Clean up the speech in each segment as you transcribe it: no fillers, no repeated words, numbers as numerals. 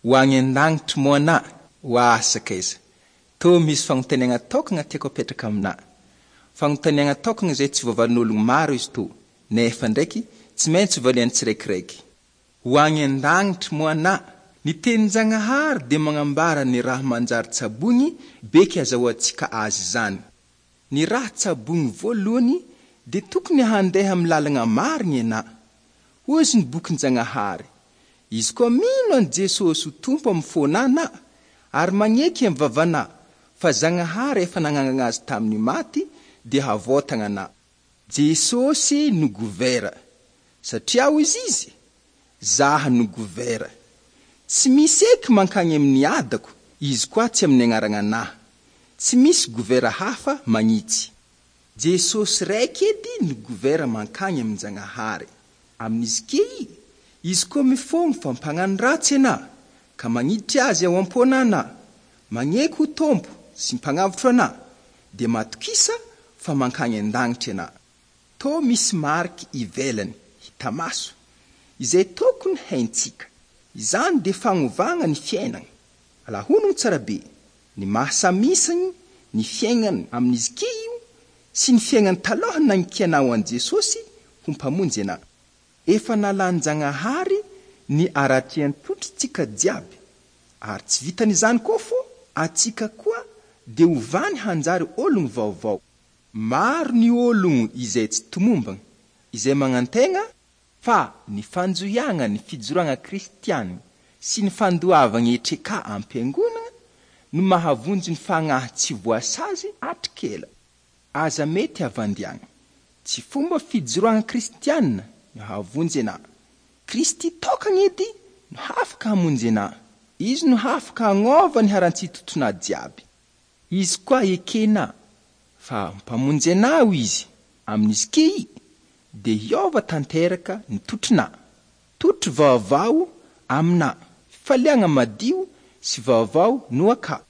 Ho agny an-dagnitry moa anà? Oa sakaiza! Tô misy fagnontaniagna tokagna tiako apetraka aminà. Fagnontaniagna tokagna izay tsy voavalin'ologno maro izy tô, nefa ndraiky tsy maintsy valian'ny tsiraikiraiky. Ho agny an-dagnitry moa anà? Ny tenin-Jagnahary dia magnambara ny raha manjary tsaboigny beky azahoantsika azy izany. Ny raha tsaboigny voalohany dia tokony handeha amin'ny lalagna marigny anà. Hozy ny bokin-Jagnahary, Izy koa mino an'i Jesosy ho Tompo amin'ny fônà na, ary magneky amin'ny vavanà fa Zagnahary efa nagnangagna Azy tamin'ny maty, dia havôtagna anà. Jesosy no govera, satria hozy Izy, Zaho no govera. Tsy misy eky mankagny amin'ny adako izy koa tsy amin'ny agnaragnanahy. Tsy misy govera hafa magnitsy. Jesosy raiky edy no govera mankagny amin-Jagnahary. Amin'izy key, izy koa mifôgno fa mpagnano ratsy anà, ka magniditry Azy ao am-pônà anà, magneky ho Tompo sy Mpagnavotro anà, dia matokisa fa mankagny an-dagnitry anà. Tô misy mariky ivelany, hita maso, izay tokony haintsika. Izany dia fagnovagna ny fiainagna. Alahonogno tsara be, ny maha samy isagny ny fiaignany amin'izy key io sy ny fiaignany taloha nagnkianao an'i Jesosy ho Mpamonjy anà. Efa nalan-Jagnahary ny aratrian-trotritsika jiaby, ary tsy vitan'izany koa fô atsika koa dia ovany hanjary ologno vaovao. Maro ny ologno izay tsy tomombagna, izay magnantegna fa ny fanjohiagna ny fijoroagna kristiana sy ny fandoavagna hetreka am-piangonagna no mahavonjy ny fagnahy tsy voasazy hatrik'ela. Aza mety havandiagna. Tsy fomba fijoroagna kristiana no hahavonjy anà. Kristy tokagna edy no hafaka hamonjy anà. Izy no hafaka hagnova ny harantsitotonà jiaby. Izy koa ekenà fa Mpamonjy anao Izy amin'izy key dia hiova tanteraka ny totrinà. Totry vaovao aminà fifaliagna madio sy vaovao no akà.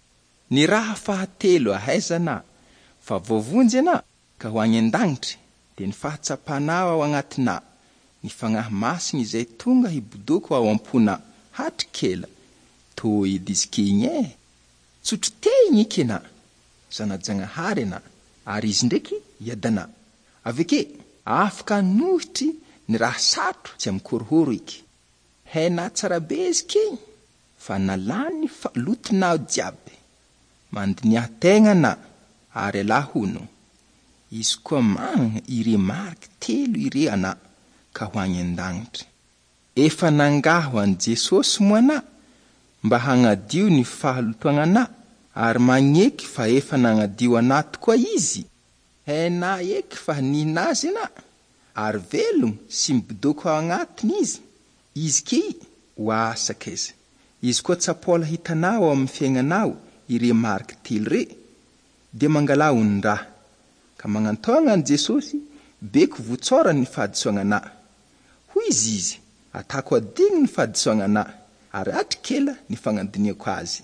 Ny raha fahatelo ahaizana fa voavonjy anà ka ho agny an-dagnitry dia ny fahatsapanao ao agnatinà ny Fagnahy Masigny izay tonga hibodoko ao am-ponà hatrik'ela. Tô edy izy ke igny e! Tsotro te igny eky anà, zana-Jagnahary anà, ary izy ndraiky iadanà. Avy ake, afaka hanohitry ny raha sarotro tsy amin-korohoro eky. Hainà tsara be izy ke igny fa nalany ny fahalotonao jiaby. Mandiniaha tegna anà, ary alà hono. Izy koa magnana ire mariky telo ire anà ka ho agny an-dagnitry. Efa nangaho an'i Jesosy moa anà mba hagnadio ny fahalotoagnanà ary magneky fa efa nagnadio anà tokoa Izy? Hainà eky fa nihina Azy anà, ary velogno sy mibodoko ao agnatiny Izy. Izy key, oa sakaiza. Izy koa tsapola hitanao ao amin'ny fiaignanao ire mariky telo re, dia mangalà onin-draha, ka magnantaogna an'i Jesosy beko votsorany ny fahadisoagnanà. Hoy izy izy, Atako adigno ny fahadisoagnanà, ary atrik'ela ny fagnadiniako azy.